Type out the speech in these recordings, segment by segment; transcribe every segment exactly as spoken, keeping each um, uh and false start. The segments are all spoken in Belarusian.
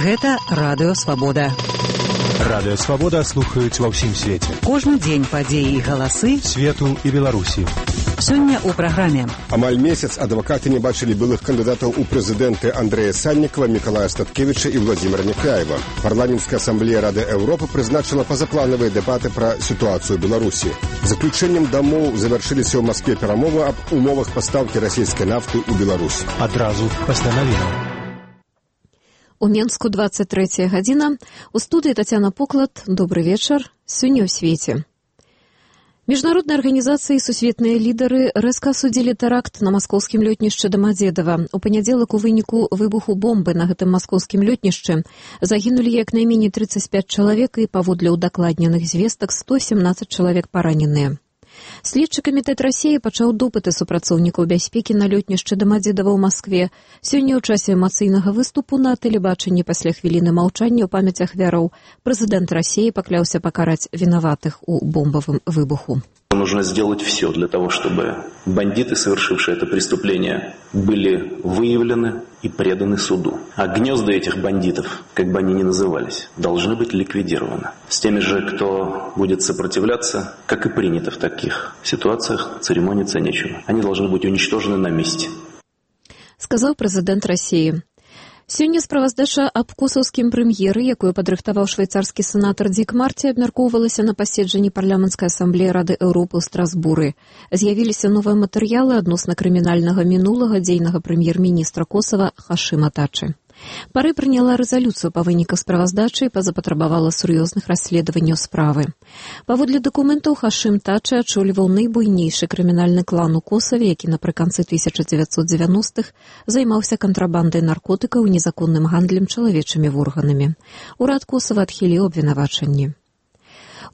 Гэта Радыё Свабода. Радыё Свабода слухаюць ва ўсім свеце. Кожны дзень падзеі і галасы свету і Беларусі. Сёння ў праграме. Амаль месяц адвакаты не бачылі былых кандыдатаў у прэзідэнты Андрэя Сальнікава, Мікалая Статкевіча і Владзіміра Няхаева. Парламенцкая асамблея Рады Еўропы прызначыла пазапланавыя дэбаты пра сітуацыю Беларусі. Заключэннем дамоў завяршыліся ў Маскве перамовы аб умовах пастаўкі расійскай нафты ў Беларусь. Адразу пасля навінаў. У Менску двадцать третья гадзіна. У студыі Тацяна Поклад. Добры вечар. Сёння ў свеце. Міжнародныя арганізацыі і сусветныя лідары рэзка асудзілі тэракт на маскоўскім лётнішчы Дамадзедава. У панядзелак у выніку выбуху бомбы на гэтым маскоўскім лётнішчы загінулі як найменей тридцать пять чалавек і паводле ўдакладненых звестак сто семнадцать чалавек параненыя. Следчы камітэт Расіі пачаў допыты супрацоўнікаў бяспекі на лётнішчы Дамадзедава ў Маскве. Сёння ў часе эмацыйнага выступу на тэлебачанні пасля хвіліны маўчання ў памяць ахвяраў прэзідэнт Расіі пакляўся пакараць вінаватых у бомбавым выбуху. Нужно сделать все для того, чтобы бандиты, совершившие это преступление, были выявлены и преданы суду. А гнезда этих бандитов, как бы они ни назывались, должны быть ликвидированы. С теми же, кто будет сопротивляться, как и принято в таких ситуациях, церемониться нечего. Они должны быть уничтожены на месте. Сказал президент России. Сёння справаздача аб косаўскім прэм'еры, якую падрыхтаваў швейцарскі сенатар Дик Марці, абмяркоўвалася на паседжанні парламенцкай асамблеі Рады Еўропы ў Страсбуры. З'явіліся новыя матэрыялы адносна крымінальнага мінулага дзейнага прэм'ер-міністра Косава Хашыма Тачы. Пары прыняла рэзалюцыю па выніках справаздачы і пазапатрабавала сур'ёзных расследаванняў справы. Паводле дакументаў Хашым Тачы ачоліваў найбуйнейшы крымінальны клан у Косаве, які напрыканцы тысяча дзевяцьсот дзевяностых займаўся кантрабандай наркотыкаў і незаконным гандлем чалавечымі органамі. Урад Косава адхіліў абвінавачанні.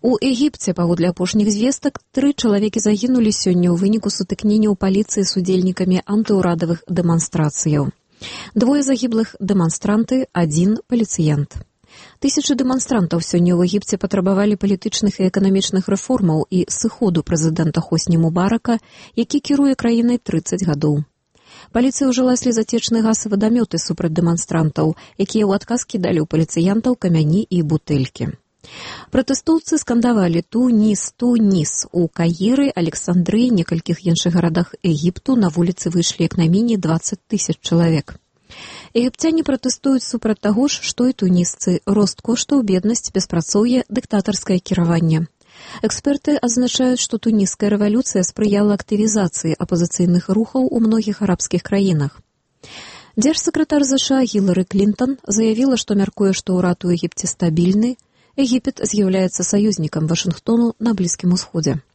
У Егіпце, паводле апошніх звестак, тры чалавекі загінулі сёння ў выніку сутыкнення ў паліцыі з удзельнікамі антыўрадавых дэманстрацыяў. Двое загіблых дэманстранты, адзін паліцыянт. Тысячы дэманстрантаў сёння ў Егіпце патрабавалі палітычных і эканамічных рэформаў і сыходу прэзідэнта Хосні Мубарака, які кіруе краінай тридцать гадоў. Паліцыя ўжыла слезацечны газ і вадамёты супраць дэманстрантаў, якія ў адказ кідалі ў паліцыянтаў камяні і бутэлькі. Пратэстоўцы скандавалі «Тунис, Тунис». У Каіры, Александрыі, некалькіх іншых гарадах Егіпту на вуліцы выйшлі як найменей двадцать тысяч чалавек. Егіпцяне пратэстуюць супраць таго ж, што і тунісцы: рост коштаў, беднасць, беспрацоўе, дыктатарскае кіраванне. Эксперты адзначаюць, што туніская рэвалюцыя спрыяла актывізацыі апазіцыйных рухаў у многіх арабскіх краінах. Дзяржсакратар ЗША Гілары Клінтон заявіла, што мяркуе, што ўрад у Егіпце стабільны. Егіпет з'яўляецца саюзнікам Вашынгтону на Блізкім Усходзе.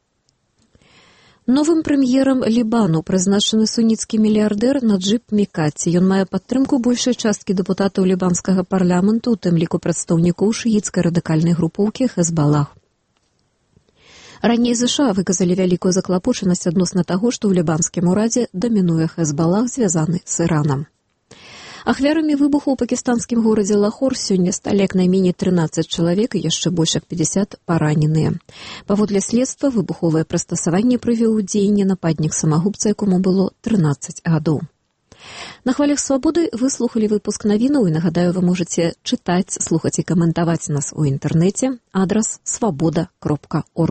Новым прэм'ерам Лібану прызначаны суніцкі мільярдэр Наджыб Мікаці. Ён мае падтрымку большай часткі дэпутатаў лібанскага парламенту, у тым ліку прадстаўнікоў шыіцкай радыкальнай групоўкі Хезбалах. Раней ЗША выказалі вялікую заклапочанасць адносна таго, што ў лібанскім урадзе дамінуе Хезбалах, звязаны з Іранам. Ахвярамі выбуху ў пакістанскім горадзе Лахор сёння сталі як найменей тринадцать чалавек і яшчэ больш як пятьдесят параненыя. Паводле следства, выбуховае прыстасаванне прывёў у дзеянне нападнік самагубца, якому было тринадцать гадоў. На хвалях свабоды вы слухалі выпуск навінаў і, нагадаю, вы можаце чытаць, слухаць і каментаваць нас у інтэрнэце. Адрас свабода кропка орг.